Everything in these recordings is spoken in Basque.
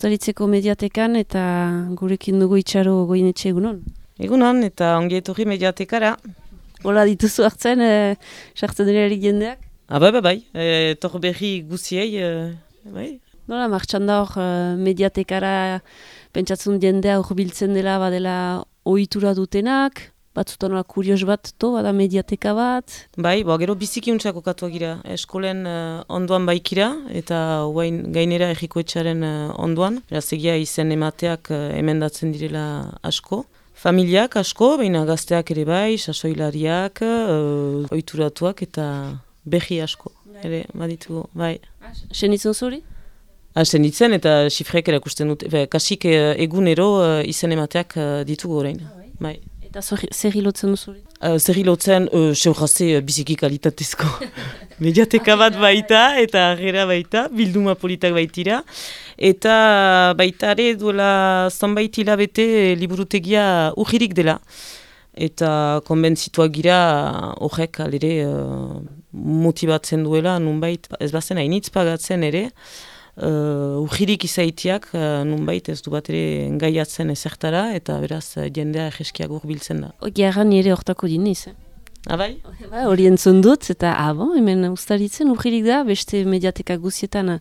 Uztaritzeko mediatekan eta gurekin dugu Itxaro Goinetxe egunon. Egunon eta ongi etorri mediatekara. Hola dituzu hartzen, sartzen dira jendeak? Bai, etor berri guziei, bai. Nola, martxan da hor mediatekara pentsatzen jendea hor biltzen dela, badela ohitura dutenak, batzutan nola kurios bat, bada mediateka bat? Bai, gero biziki untzako katuak gira, eskolen onduan baikira, eta gainera errikoetxaren onduan. Beraz egia izen emateak emendatzen direla asko. Familiak asko, baina gazteak ere bai, sasoilariak, ohituratuak eta berri asko. Ere, baditu, bai. Senitzen zuri? Senitzen eta xifrek erakusten dut, kasik egunero izen emateak ditugu orain. Bai. Eta zer hilotzen duzuri? Zer hilotzen, seurazte biziki kalitatezko mediateka bat baita, eta gera baita, bilduma politak baitira. Eta baitare duela zonbait hilabete liburutegia urririk dela. Eta konbentzituak gira horrek alere motibatzen duela, nunbait ez bazen hainitz pagatzen ere, urririk izaitiak nunbait ez du bat ere engaiatzen ezertara, eta beraz jendea egeskiak urbiltzen da. Gerran nire hortako diniz, Bai? Hori entzun dut, eta hemen Uztaritzen urririk da, beste mediateka guzietan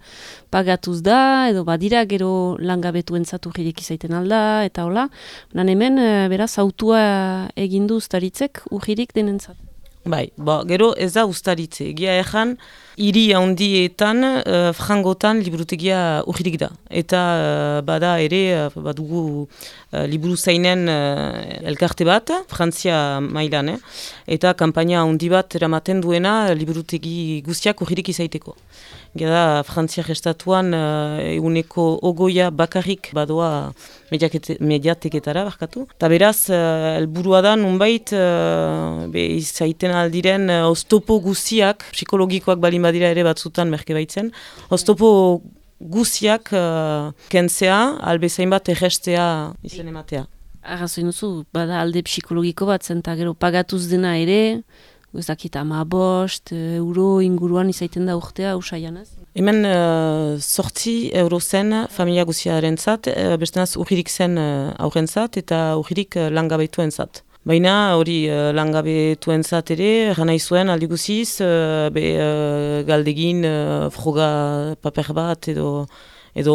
pagatuz da, edo badira gero langabetuentzat urririk izaiten alda, eta hola. Hemen, beraz, autua egindu Uztaritzek urririk denentzat. Bai, gero ez da Uztaritze. Egia ezan, hiri handietan, frangotan liburutegia urririk da. Eta bada ere, badugu liburu zainen elkarte bat, Frantzia mailan, eta kanpaina handi bat eramaten duena liburutegi guztiak urririk izaiteko. Gera Frantziak estatuan eguneko ogoia bakarrik badoa mediateketara barkatu. Ta beraz, helburua da nunbait izaiten aldiren oztopo guziak, psikologikoak balin badira ere batzutan merke baitzen, oztopo guziak kentzea, albezain bat errestea izen ematea. Arrazoin duzu, bada alde psikologiko bat zen, eta gero pagatuz dena ere, guztakit 15 euro inguruan izaiten da urtea usaian ez? Hemen 8 euro zen familia guziaren zat, bestenaz urririk zen aurrentzat eta urririk langabetuen zat. Baina hori langabetuen zat ere, gana izuen aldi guziz, galdegin froga paper bat edo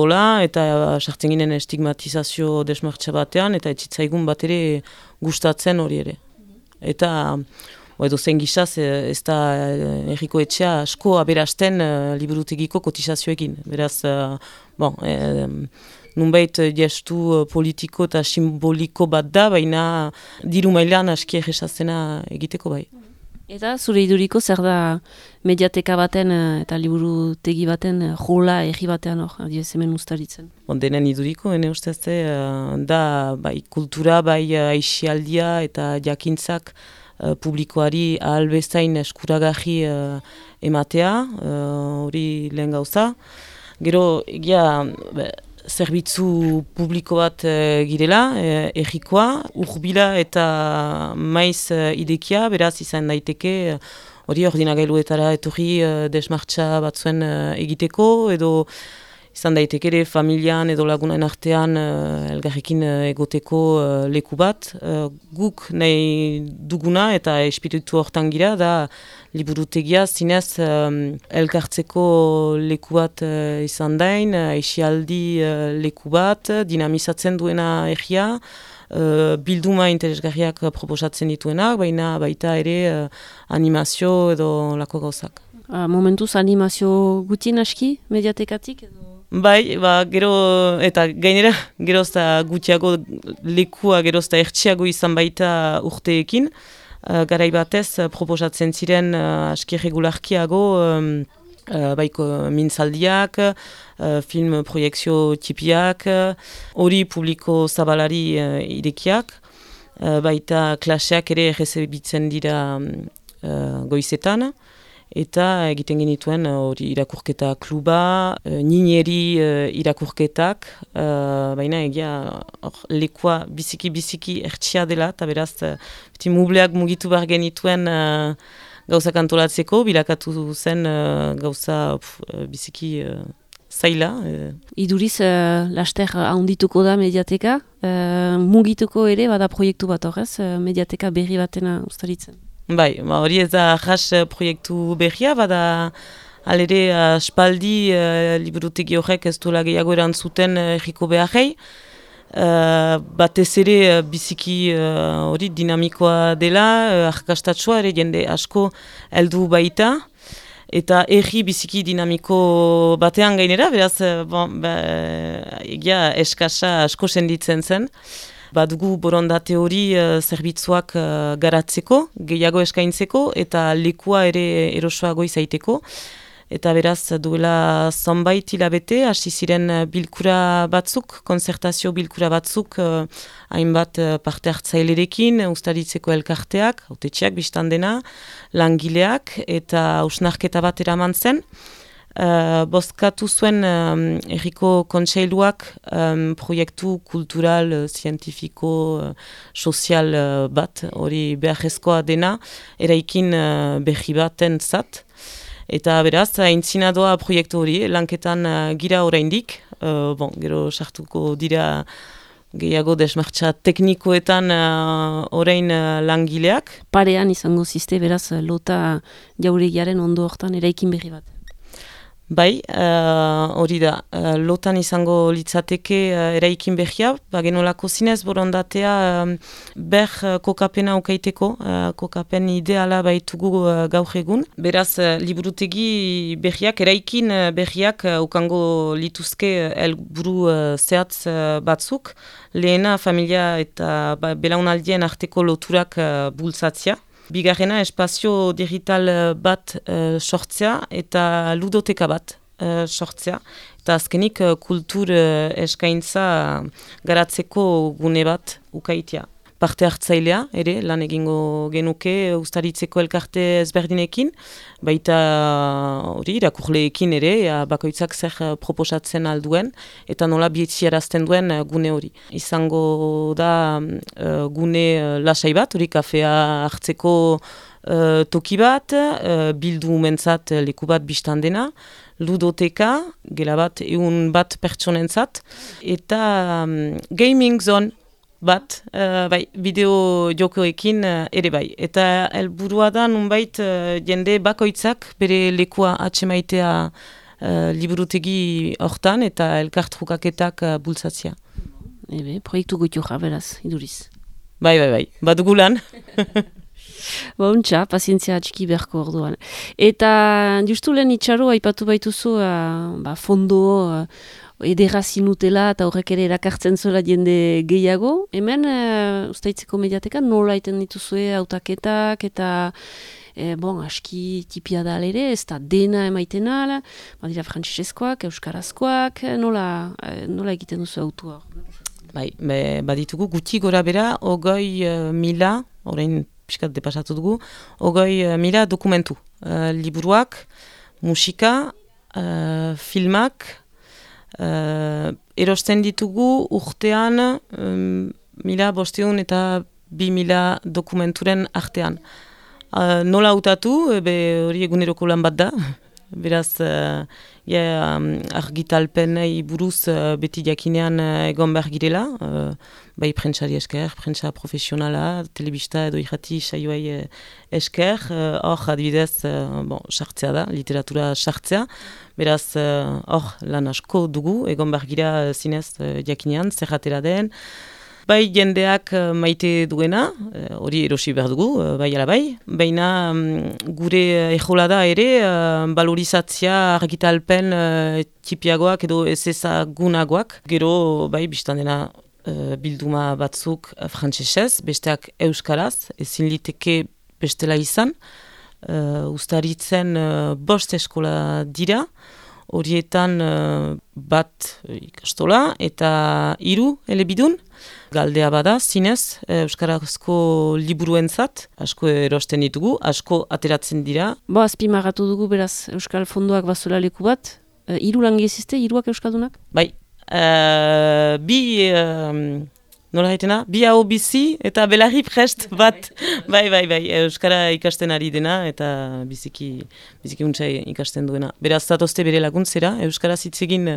hola, eta sartzen ginen estigmatizazio desmartxa batean, eta etxitzaigun bat ere gustatzen hori ere. Eta edo zen gizaz ez da errikoetxea asko aberasten liburutegiko kotizazioekin. Beraz, nunbait gestu politiko eta simboliko bat da, baina diru mailan aski erresazena egiteko bai. Eta zure iduriko zer da mediateka baten eta liburutegi baten jola erri batean hor, adiez hemen Uztaritzen? Denen iduriko, hene ustez da bai kultura, bai aixialdia eta jakintzak publikoari ahal bezain eskuragarri ematea, hori lehen gauza. Gero, egia, zerbitzu publiko bat girela, errikoa, urbila eta maiz idekia, beraz izan daiteke, hori ordinagailuetara etorri desmartxa batzuen egiteko, edo izan daiteke ere familian edo lagunen artean elgarrekin egoteko leku bat. Guk nahi duguna eta espiritu hortan gira da liburutegia zinez elkartzeko leku bat izan dain, aixialdi leku bat, dinamizatzen duena erria, bilduma interesgarriak proposatzen dituenak, baina baita ere animazio edo lako gauzak. Momentuz animazio gutien aski mediatekatik edo? Bai, gero, eta gainera, gerozta gutiago lekua, gerozta ertsiago izan baita urteekin. Garai batez, proposatzen ziren aski regularkiago, baiko mintzaldiak, film proiekzio tipiak, hori publiko zabalari irekiak, baita klaseak ere errezebitzen dira goizetan. Eta egiten genituen hori irakurketa kluba, nineri irakurketak, baina egia lekua biziki ertsia dela, eta beraz mubleak mugitu behar genituen gauzak antolatzeko, bilakatu zen gauza biziki zaila. Iduriz, laster handituko da mediateka, mugituko ere bada proiektu bat horrez, mediateka berri batena ustaritzen. Bai, hori ez da jas proiektu berria, bada alere aspaldi liburutegi horrek ez duela gehiago erantzuten erriko beharrei. Batez ere biziki hori dinamikoa dela, arkastatsua ere jende asko heldu baita. Eta erri biziki dinamiko batean gainera, beraz, egia eskasa asko senditzen zen. Badugu borondate hori zerbitzuak garatzeko, gehiago eskaintzeko, eta lekua ere erosoago izaiteko. Eta beraz, duela zonbait hilabete, hasi ziren bilkura batzuk, konzertazio bilkura batzuk, hainbat parte hartzailerekin, ustaritzeko elkarteak, hautetxeak biztan dena, langileak, eta hausnarketa bat eraman zen. Bozkatu zuen erriko kontseiluak proiektu kultural, zientifiko, sozial bat, hori beharrezkoa dena, eraikin berri baten zat. Eta beraz, aintzinadoa proiektu hori, lanketan gira oraindik, gero sartuko dira gehiago desmartza teknikoetan orain langileak. Parean izango ziste, beraz, lota jauregiaren ondo hortan eraikin berri bat. Bai, hori da, lotan izango litzateke eraikin berria, genolako zinez borondatea ber kokapena ukaiteko, kokapen ideala baitugu gaur egun. Beraz, liburutegi berriak, eraikin berriak ukango lituzke helburu zehatz batzuk, lehena familia eta belaunaldien arteko loturak bultzatzea. Bigarrena, espazio digital bat sortzea eta ludoteka bat sortzea. Eta azkenik kultur eskaintza garatzeko gune bat ukaitea. Parte hartzailea ere, lan egingo genuke ustaritzeko elkarte ezberdinekin, baita hori irakurleekin ere, bakoitzak zer proposatzen alduen, eta nola bietziarazten duen gune hori. Izango da gune lasai bat, hori kafea hartzeko toki bat, bildu mentzat leku bat biztan dena, ludoteka, gela bat, egun bat pertsonentzat, eta gaming zone, bat, bideo jokoekin ere bai. Eta helburua da nunbait jende bakoitzak bere lekua atxemaitea liburutegi hortan eta elkartrukaketak bultzatzea. Proiektu goitura, beraz, iduriz. Bai, badugu lan. Untxa, pazientzia txiki beharko orduan. Eta justu lehen itxaro, aipatu baituzu fondo edera zinutela eta horrek ere erakartzen zuela jende gehiago. Hemen, ustaitzeko mediateka, nola iten dituzue hautaketak eta aski tipia da ere, ez da dena emaiten ala, badira frantsesezkoak, euskarazkoak, nola egiten duzu autua? Bai, baditugu guti gora bera, 20.000, orain piskat depasatu dugu, 20.000 dokumentu. Liburuak, musika, filmak, erosten ditugu urtean 1.500 eta 2.000 dokumenturen artean. Nola hautatu, hori eguneroko lan bat da, beraz argitalpenei buruz beti jakinean egon behar girela, bai prentsari esker, prentsa profesionala, telebista edo irrati saioai esker, hor adibidez sartzea da, literatura sartzea, beraz hor lan asko dugu, egon behar gira zinez jakinean, zerratera den, bai jendeak maite duena, hori erosi behar dugu, bai ala bai, baina gure ejolada ere valorizatzea argitalpen tipiagoak edo ez ezagunagoak, gero bai biztan dena bilduma batzuk frantsesez, besteak euskaraz, ezin liteke bestela izan, ustaritzen 5 eskola dira, horietan bat ikastola eta 3 elebidun. Galdea bada, zinez, euskarazko liburuentzat, asko erosten ditugu, asko ateratzen dira. Azpimarratu dugu beraz Euskal Fondoak bazuela leku bat, 3 langile ziste, 3 euskaldunak? Bai, 2 nola haitena, bi hau bizi eta belarri prest bat. Bai, Euskara ikasten ari dena eta biziki untsa ikasten duena. Beraz, zatozte bere laguntzera, Euskara zitzegin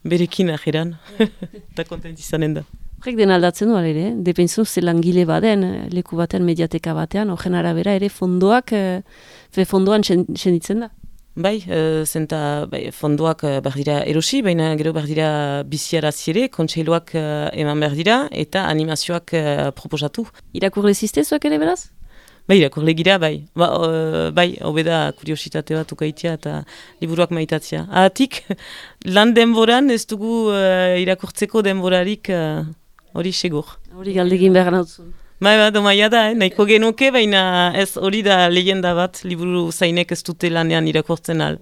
berekin ajeran, eta kontent izanen da. Horrek den aldatzen du, ere, depentzu ze langile baden, leku baten, mediateka batean, horren arabera ere fondoak, fondoan senditzen da. Bai, zenta fondoak behar dira erosi, baina gero behar dira biziarazi ere, kontseiluak eman behar dira, eta animazioak proposatu. Irakurle ziztezuak ere beraz? Bai, irakurle gira, bai. Bai, hobeda kuriositate bat ukaitia eta liburuak maitatzea. Ahatik, lan denboran ez dugu irakurtzeko denborarik hori segur. Hori galdegin behar nautzun. Bai, domaia da, nahiko genuke, baina ez hori da lehenda bat, liburu zainek ez dute lanean irakurtzen al.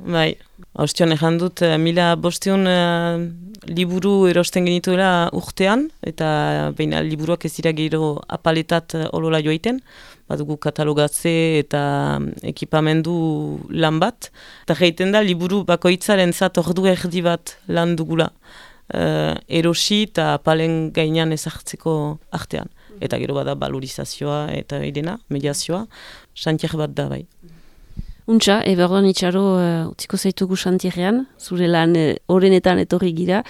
Bai, haustion ejan dut, 1500 liburu erosten genituela urtean, eta baina liburuak ez dira gero apaletat olola joaiten, badugu katalogatze eta ekipamendu lan bat, eta geiten da liburu bakoitzaren zat ordu erdi bat lan dugula. Erosi eta apalen gainean ezartzeko artean. Eta gero bada valorizazioa eta irena, mediazioa, xantier bat da bai. Untxa, berdoan itxaro utziko zaitugu xantierrean, zure lan horrenetan etorri gira,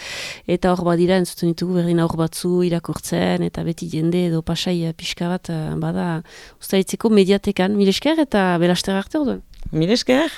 eta hor badira entzuten ditugu berdin aur batzu irakurtzen, eta beti jende edo pasai pixka bat bada ustaitzeko mediatekan. Mil esker eta belaster arte orduan. Mil esker!